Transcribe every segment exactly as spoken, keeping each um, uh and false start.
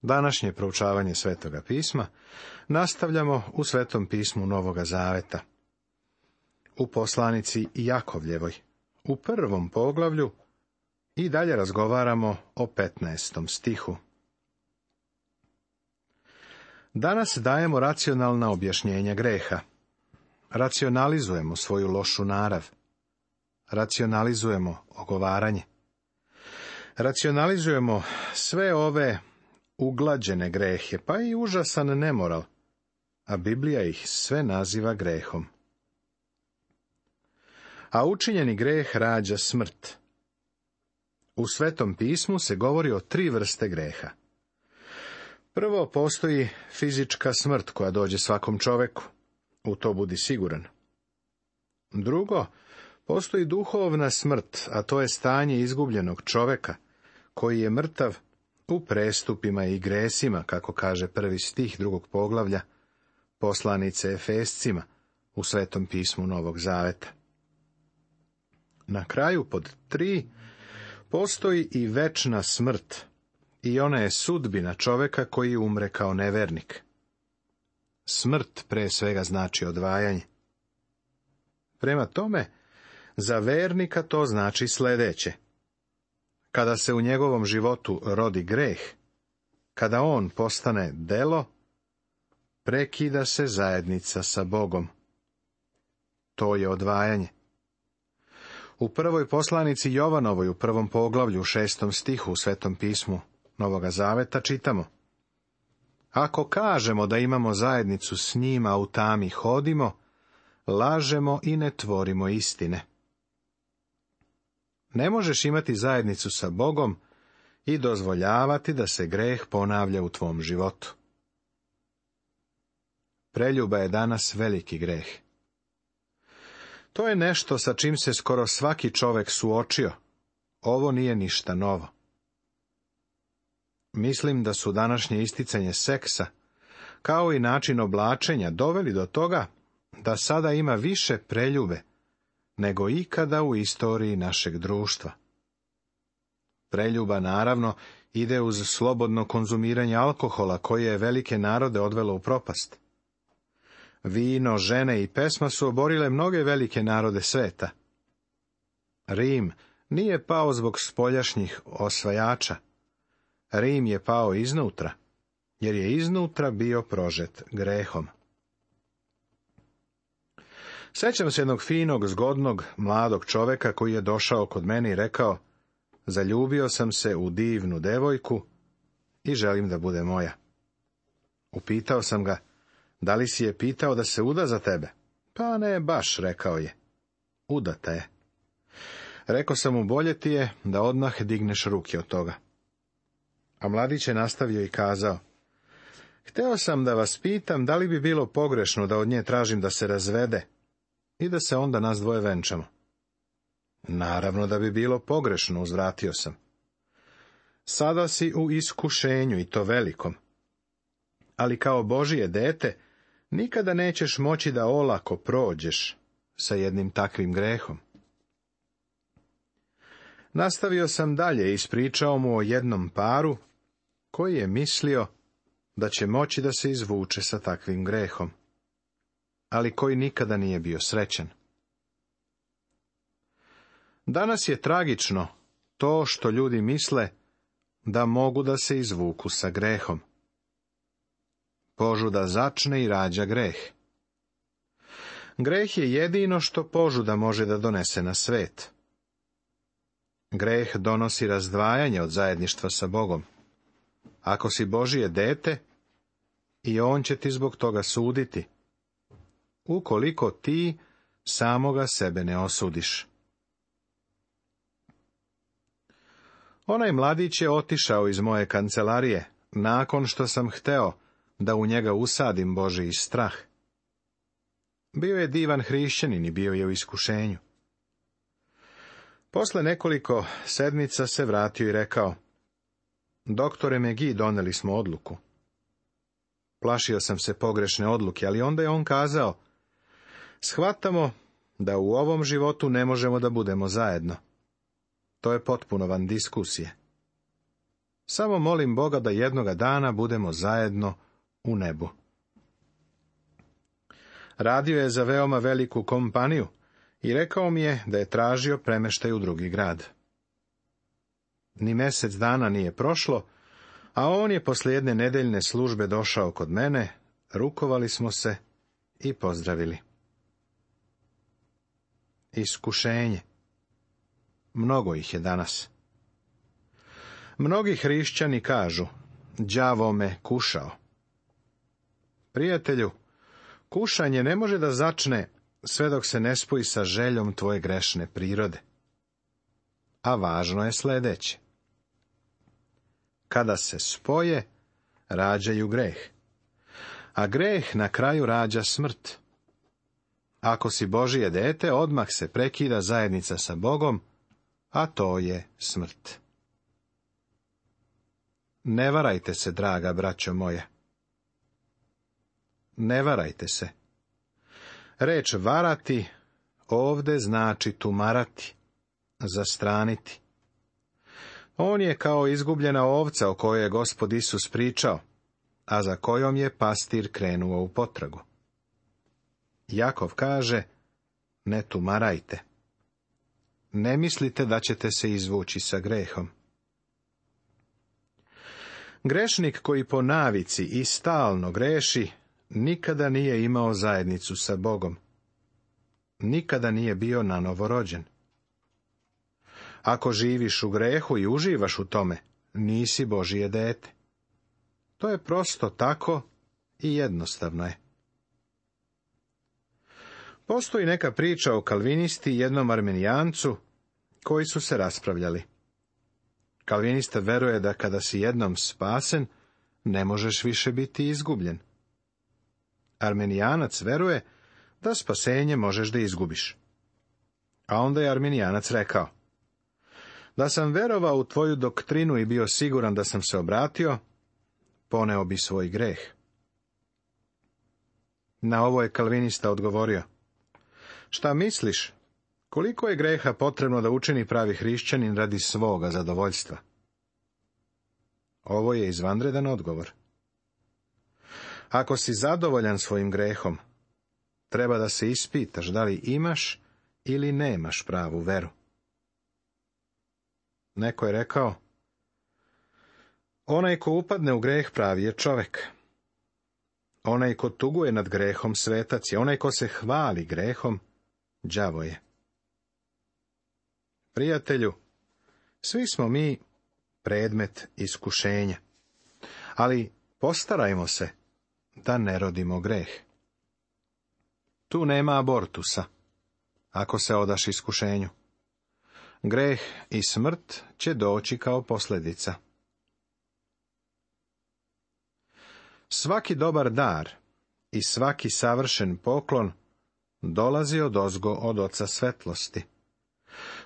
Današnje proučavanje Svetoga pisma nastavljamo u Svetom pismu Novoga Zaveta. U poslanici Jakovljevoj, u prvom poglavlju, i dalje razgovaramo o petnaestom stihu. Danas dajemo racionalna objašnjenja greha. Racionalizujemo svoju lošu narav. Racionalizujemo ogovaranje. Racionalizujemo sve ove uglađene grehe, pa i užasan nemoral, a Biblija ih sve naziva grehom. A učinjeni greh rađa smrt. U Svetom pismu se govori o tri vrste greha. Prvo, postoji fizička smrt koja dođe svakom čoveku. U to budi siguran. Drugo, postoji duhovna smrt, a to je stanje izgubljenog čoveka, koji je mrtav u prestupima i gresima, kako kaže prvi stih drugog poglavlja poslanice Efescima u Svetom pismu Novog Zaveta. Na kraju, pod tri, postoji i večna smrt, i ona je sudbina čoveka koji umre kao nevernik. Smrt pre svega znači odvajanje. Prema tome, za vernika to znači sledeće. Kada se u njegovom životu rodi greh, kada on postane delo, prekida se zajednica sa Bogom. To je odvajanje. U prvoj poslanici Jovanovoj, u prvom poglavlju, u šestom stihu u Svetom pismu Novoga Zaveta čitamo: Ako kažemo da imamo zajednicu s njima, a u tami hodimo, lažemo i ne tvorimo istine. Ne možeš imati zajednicu sa Bogom i dozvoljavati da se greh ponavlja u tvom životu. Preljuba je danas veliki greh. To je nešto sa čim se skoro svaki čovek suočio. Ovo nije ništa novo. Mislim da su današnje isticanje seksa, kao i način oblačenja, doveli do toga da sada ima više preljube nego ikada u istoriji našeg društva. Preljuba, naravno, ide uz slobodno konzumiranje alkohola, koje je velike narode odvelo u propast. Vino, žene i pesma su oborile mnoge velike narode sveta. Rim nije pao zbog spoljašnjih osvajača. Rim je pao iznutra, jer je iznutra bio prožet grehom. Sećam se jednog finog, zgodnog, mladog čoveka koji je došao kod mene i rekao: Zaljubio sam se u divnu devojku i želim da bude moja. Upitao sam ga: Da li si je pitao da se uda za tebe? Pa ne baš, rekao je. Udata je. Rekao sam mu: bolje ti je da odmah digneš ruke od toga. A mladić je nastavio i kazao: Hteo sam da vas pitam da li bi bilo pogrešno da od nje tražim da se razvede i da se onda nas dvoje venčamo. Naravno da bi bilo pogrešno, uzvratio sam. Sada si u iskušenju, i to velikom. Ali kao Božije dete nikada nećeš moći da olako prođeš sa jednim takvim grehom. Nastavio sam dalje i ispričao mu o jednom paru koji je mislio da će moći da se izvuče sa takvim grehom, ali koji nikada nije bio srećan. Danas je tragično to što ljudi misle da mogu da se izvuku sa grehom. Požuda začne i rađa greh. Greh je jedino što požuda može da donese na svet. Greh donosi razdvajanje od zajedništva sa Bogom. Ako si Božije dete, i on će ti zbog toga suditi, ukoliko ti samoga sebe ne osudiš. Onaj mladić je otišao iz moje kancelarije, nakon što sam hteo da u njega usadim Božiji strah. Bio je divan hrišćanin i bio je u iskušenju. Posle nekoliko sedmica se vratio i rekao: Doktore Megi, doneli smo odluku. Plašio sam se pogrešne odluke, ali onda je on kazao: Shvatamo da u ovom životu ne možemo da budemo zajedno. To je potpuno van diskusije. Samo molim Boga da jednoga dana budemo zajedno u nebu. Radio je za veoma veliku kompaniju i rekao mi je da je tražio premeštaj u drugi grad. Ni mjesec dana nije prošlo, a on je poslije jedne nedeljne službe došao kod mene, rukovali smo se i pozdravili. Iskušenje. Mnogo ih je danas. Mnogi hrišćani kažu, đavo me kušao. Prijatelju, kušanje ne može da začne sve dok se ne spoji sa željom tvoje grešne prirode. A važno je sljedeće. Kada se spoje, rađaju greh. A greh na kraju rađa smrt. Ako si Božije dete, odmah se prekida zajednica sa Bogom, a to je smrt. Ne varajte se, draga braćo moja. Ne varajte se. Reč varati ovde znači tumarati, zastraniti. On je kao izgubljena ovca o kojoj je Gospod Isus pričao, a za kojom je pastir krenuo u potragu. Jakov kaže, ne tumarajte. Ne mislite da ćete se izvući sa grehom. Grešnik koji po navici i stalno greši, nikada nije imao zajednicu sa Bogom. Nikada nije bio nanovo rođen. Ako živiš u grehu i uživaš u tome, nisi Božije dete. To je prosto tako i jednostavno je. Postoji neka priča o kalvinisti i jednom armenijancu koji su se raspravljali. Kalvinista veruje da kada si jednom spasen, ne možeš više biti izgubljen. Armenijanac veruje da spasenje možeš da izgubiš. A onda je armenijanac rekao, da sam verovao u tvoju doktrinu i bio siguran da sam se obratio, poneo bi svoj greh. Na ovo je kalvinista odgovorio, šta misliš, koliko je greha potrebno da učini pravi hrišćanin radi svoga zadovoljstva? Ovo je izvanredan odgovor. Ako si zadovoljan svojim grehom, treba da se ispitaš da li imaš ili nemaš pravu veru. Neko je rekao, onaj ko upadne u greh pravi je čovek. Onaj ko tuguje nad grehom svetac je, onaj ko se hvali grehom, đavo je. Prijatelju, svi smo mi predmet iskušenja, ali postarajmo se da ne rodimo greh. Tu nema abortusa, ako se odaš iskušenju. Greh i smrt će doći kao posljedica. Svaki dobar dar i svaki savršen poklon dolazi odozgo od Oca svetlosti,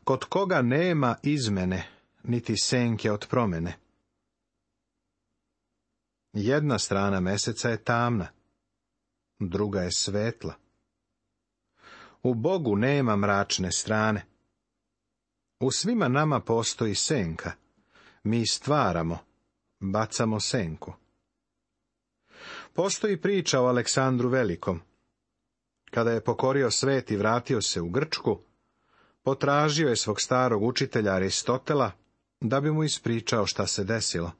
kod koga nema izmene, niti senke od promene. Jedna strana meseca je tamna, druga je svetla. U Bogu nema mračne strane. U svima nama postoji senka. Mi stvaramo, bacamo senku. Postoji priča o Aleksandru Velikom. Kada je pokorio svet i vratio se u Grčku, potražio je svog starog učitelja Aristotela da bi mu ispričao šta se desilo.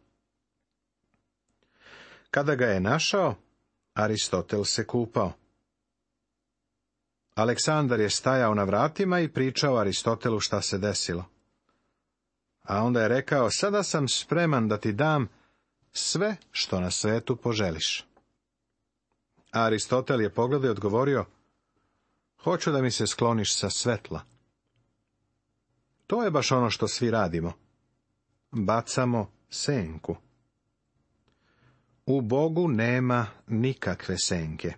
Kada ga je našao, Aristotel se kupao. Aleksandar je stajao na vratima i pričao Aristotelu šta se desilo. A onda je rekao, sada sam spreman da ti dam sve što na svetu poželiš. A Aristotel je pogledao i odgovorio, hoću da mi se skloniš sa svetla. To je baš ono što svi radimo. Bacamo senku. U Bogu nema nikakve senke.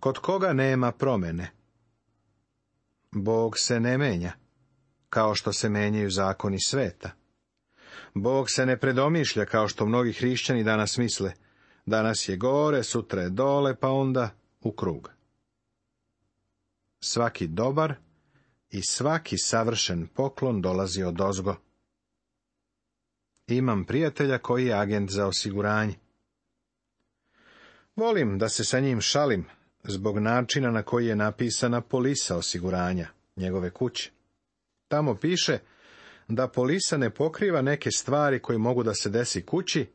Kod koga nema promene? Bog se ne menja, kao što se menjaju zakoni sveta. Bog se ne predomišlja, kao što mnogi hrišćani danas misle. Danas je gore, sutra je dole, pa onda u krug. Svaki dobar i svaki savršen poklon dolazi odozgo, Imam prijatelja koji je agent za osiguranje. Volim da se sa njim šalim zbog načina na koji je napisana polisa osiguranja njegove kuće. Tamo piše da polisa ne pokriva neke stvari koje mogu da se desi kući,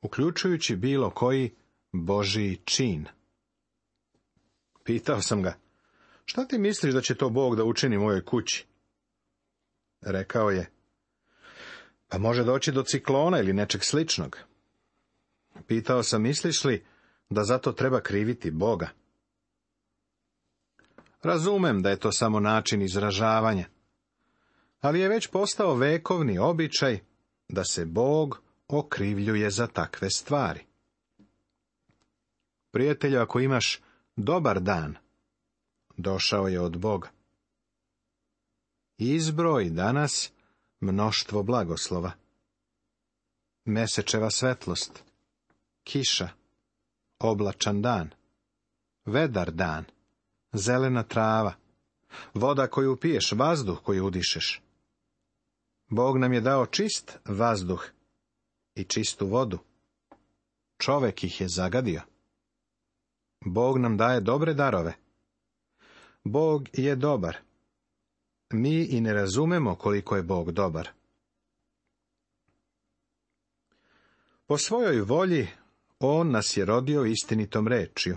uključujući bilo koji Božji čin. Pitao sam ga, šta ti misliš da će to Bog da učini mojoj kući? Rekao je, pa može doći do ciklona ili nečeg sličnog. Pitao sam, misliš li da zato treba kriviti Boga? Razumem da je to samo način izražavanja, ali je već postao vekovni običaj da se Bog okrivljuje za takve stvari. Prijatelju, ako imaš dobar dan, došao je od Boga. Izbroj danas mnoštvo blagoslova. Mesečeva svetlost, kiša, oblačan dan, vedar dan, zelena trava, voda koju piješ, vazduh koji udišeš. Bog nam je dao čist vazduh i čistu vodu. Čovek ih je zagadio. Bog nam daje dobre darove. Bog je dobar. Mi i ne razumemo koliko je Bog dobar. Po svojoj volji On nas je rodio istinitom rečju,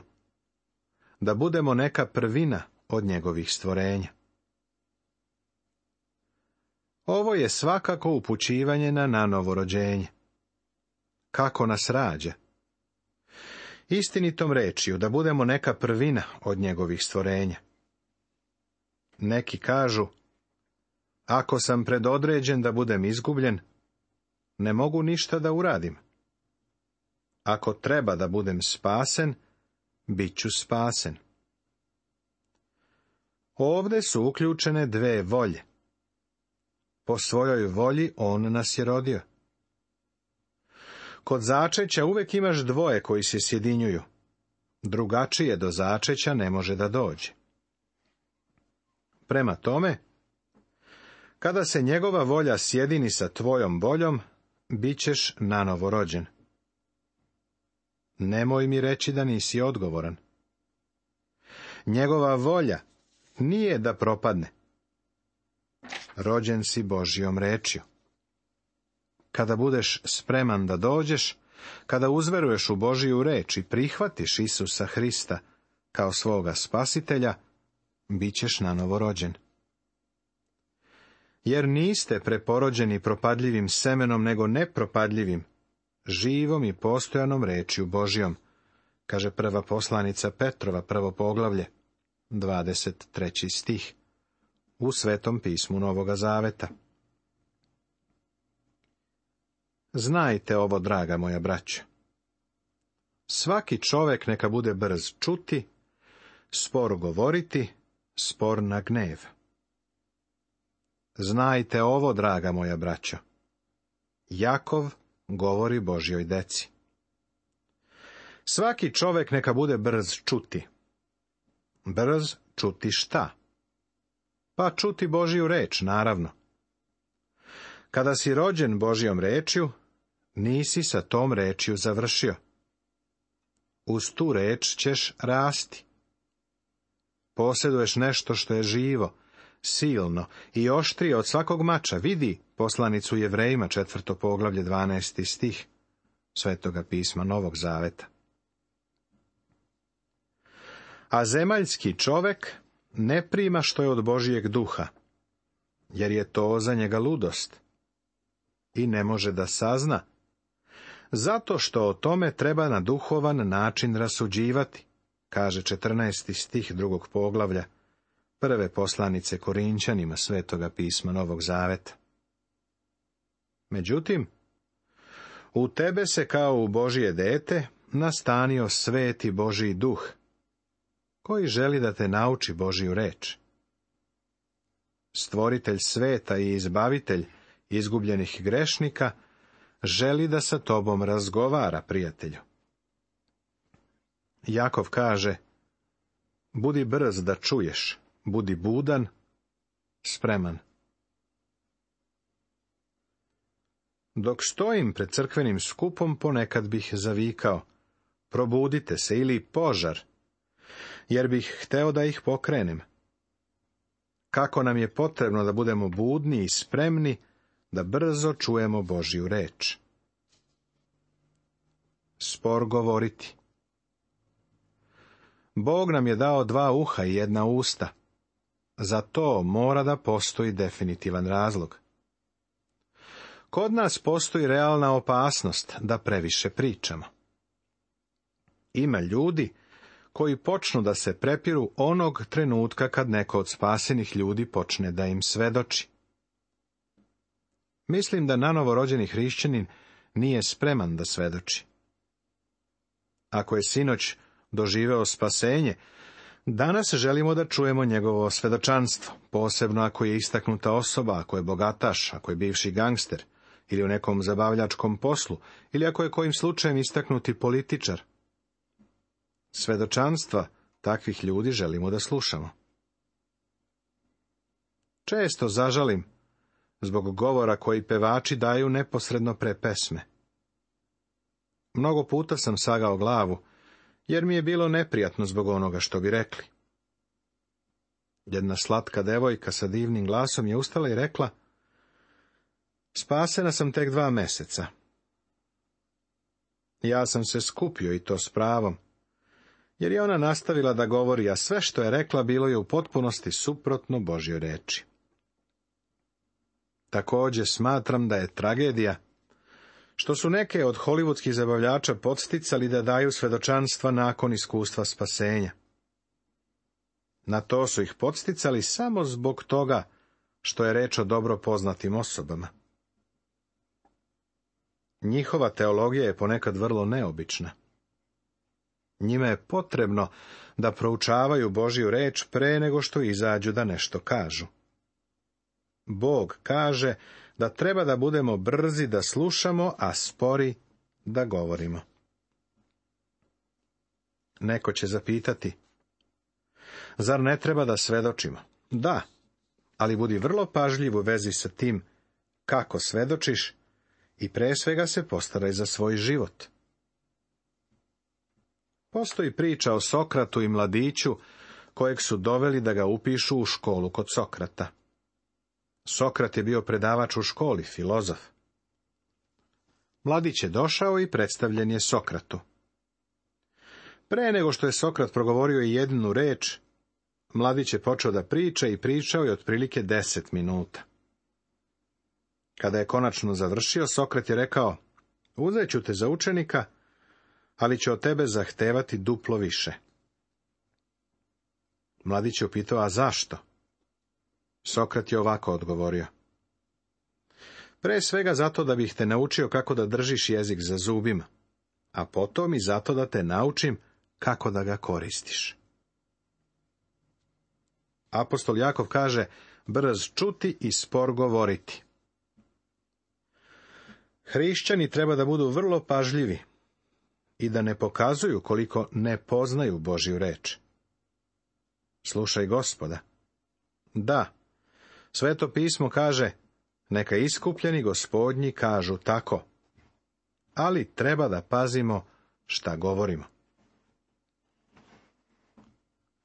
da budemo neka prvina od njegovih stvorenja. Ovo je svakako upućivanje na nanovo rođenje. Kako nas rađa? Istinitom rečju, da budemo neka prvina od njegovih stvorenja. Neki kažu, ako sam predodređen da budem izgubljen, ne mogu ništa da uradim. Ako treba da budem spasen, bit ću spasen. Ovde su uključene dve volje. Po svojoj volji On nas je rodio. Kod začeća uvek imaš dvoje koji se sjedinjuju. Drugačije do začeća ne može da dođe. Prema tome, kada se njegova volja sjedini sa tvojom voljom, bit ćeš nanovo rođen. Nemoj mi reći da nisi odgovoran. Njegova volja nije da propadne. Rođen si Božjom rečju. Kada budeš spreman da dođeš, kada uzveruješ u Božiju reč i prihvatiš Isusa Hrista kao svoga spasitelja, bit ćeš nanovo rođen. Jer niste preporođeni propadljivim semenom, nego nepropadljivim, živom i postojanom rečju Božjom, kaže prva poslanica Petrova, prvo poglavlje, dvadeset treći stih, u Svetom pismu Novoga Zaveta. Znajte ovo, draga moja braćo. Svaki čovek neka bude brz čuti, spor govoriti, spor na gnev. Znajte ovo, draga moja braćo. Jakov govori Božjoj deci. Svaki čovek neka bude brz čuti. Brz čuti šta? Pa čuti Božju reč, naravno. Kada si rođen Božjom rečju, nisi sa tom rečju završio. Uz tu reč ćeš rasti. Posjeduješ nešto što je živo, silno i oštrije od svakog mača. Vidi poslanicu Jevrejima, četvrto poglavlje, dvanaesti stih Svetoga pisma Novog Zaveta. A zemaljski čovek ne prima što je od Božijeg duha, jer je to za njega ludost i ne može da sazna, zato što o tome treba na duhovan način rasuđivati, kaže četrnaesti stih drugog poglavlja prve poslanice Korinćanima Svetoga pisma Novog Zaveta. Međutim, u tebe se kao u Božije dete nastanio sveti Božji duh, koji želi da te nauči Božju reč. Stvoritelj sveta i izbavitelj izgubljenih grešnika želi da sa tobom razgovara, prijatelju. Jakov kaže, budi brz da čuješ, budi budan, spreman. Dok stojim pred crkvenim skupom, ponekad bih zavikao: probudite se, ili požar, jer bih hteo da ih pokrenem. Kako nam je potrebno da budemo budni i spremni da brzo čujemo Božju reč. Spor govoriti. Bog nam je dao dva uha i jedna usta. Za to mora da postoji definitivan razlog. Kod nas postoji realna opasnost da previše pričamo. Ima ljudi koji počnu da se prepiru onog trenutka kad neko od spasenih ljudi počne da im svedoči. Mislim da nanovorođeni hrišćanin nije spreman da svedoči. Ako je sinoć doživeo spasenje, danas želimo da čujemo njegovo svedočanstvo, posebno ako je istaknuta osoba, ako je bogataš, ako je bivši gangster, ili u nekom zabavljačkom poslu, ili ako je kojim slučajem istaknuti političar. Svedočanstva takvih ljudi želimo da slušamo. Često zažalim zbog govora koji pevači daju neposredno pre pesme. Mnogo puta sam sagao glavu, jer mi je bilo neprijatno zbog onoga što bi rekli. Jedna slatka devojka sa divnim glasom je ustala i rekla: spasena sam tek dva meseca. Ja sam se skupio, i to s pravom, jer je ona nastavila da govori, a sve što je rekla bilo je u potpunosti suprotno Božjoj reči. Također smatram da je tragedija što su neke od hollywoodskih zabavljača podsticali da daju svedočanstva nakon iskustva spasenja. Na to su ih podsticali samo zbog toga što je reč o dobro poznatim osobama. Njihova teologija je ponekad vrlo neobična. Njima je potrebno da proučavaju Božju reč pre nego što izađu da nešto kažu. Bog kaže da treba da budemo brzi da slušamo, a spori da govorimo. Neko će zapitati: zar ne treba da svedočimo? Da, ali budi vrlo pažljiv u vezi sa tim kako svedočiš i pre svega se postaraj za svoj život. Postoji priča o Sokratu i mladiću kojeg su doveli da ga upišu u školu kod Sokrata. Sokrat je bio predavač u školi, filozof. Mladić je došao i predstavljen je Sokratu. Pre nego što je Sokrat progovorio i jednu reč, mladić je počeo da priča i pričao je otprilike deset minuta. Kada je konačno završio, Sokrat je rekao: uzet ću te za učenika, ali će od tebe zahtevati duplo više. Mladić je upitao: a zašto? Sokrat je ovako odgovorio: pre svega zato da bih te naučio kako da držiš jezik za zubima, a potom i zato da te naučim kako da ga koristiš. Apostol Jakov kaže: brz čuti i spor govoriti. Hrišćani treba da budu vrlo pažljivi i da ne pokazuju koliko ne poznaju Božju reč. Slušaj Gospoda. Da, Sveto pismo kaže: neka iskupljeni Gospodnji kažu tako, ali treba da pazimo šta govorimo.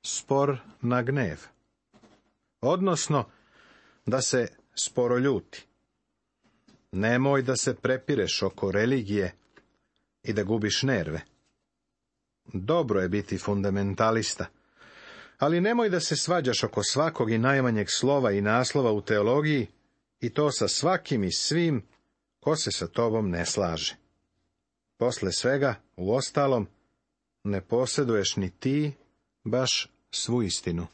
Spor na gnev, odnosno da se sporo ljuti. Nemoj da se prepireš oko religije i da gubiš nerve. Dobro je biti fundamentalista, ali nemoj da se svađaš oko svakog i najmanjeg slova i naslova u teologiji, i to sa svakim i svim ko se sa tobom ne slaže. Posle svega, uostalom, ne posjeduješ ni ti baš svu istinu.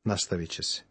Nastavit će se.